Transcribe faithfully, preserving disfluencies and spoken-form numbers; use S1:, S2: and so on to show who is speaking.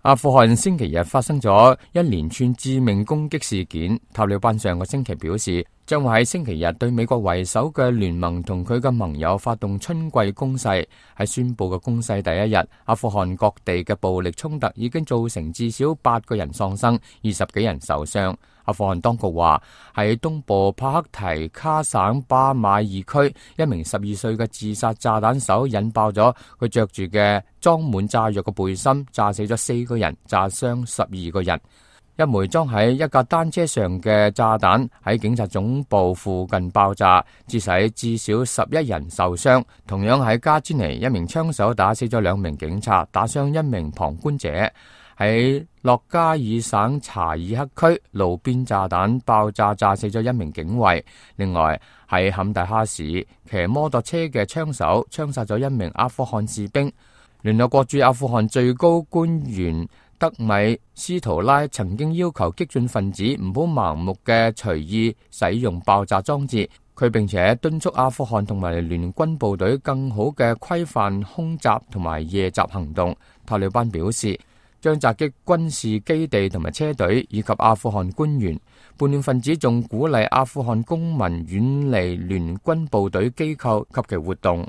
S1: 阿富汗星期日發生咗一連串致命攻擊事件。塔利班上個星期表示，將會喺星期日對美國為首嘅聯盟同佢嘅盟友發動春季攻勢。喺宣布嘅攻勢第一日，阿富汗各地嘅暴力衝突已經造成至少八個人喪生，二十幾人受傷。阿富汗當局話，喺東部帕克提卡省巴馬爾區，一名十二歲嘅自殺炸彈手引爆咗佢着住嘅裝滿炸藥嘅背心，炸死咗四個人，炸傷十二個人。一枚裝喺一架單車上嘅炸彈喺警察總部附近爆炸，致使至少十一人受傷。同樣喺加茲尼，一名槍手打死咗兩名警察，打傷一名旁觀者。喺洛加爾省查爾克區，路邊炸彈爆炸，炸死咗一名警衛。另外喺坎大哈市，騎摩托車嘅槍手槍殺咗一名阿富汗士兵。聯合國駐阿富汗最高官員德米斯圖拉曾經要求激進分子唔好盲目嘅隨意使用爆炸裝置，佢並且敦促阿富汗同埋聯軍部隊更好嘅規範空襲同埋夜襲行動。塔利班表示，將襲擊軍事基地同埋車隊以及阿富汗官員。叛亂分子仲鼓勵阿富汗公民遠離聯軍部隊機構及其活動。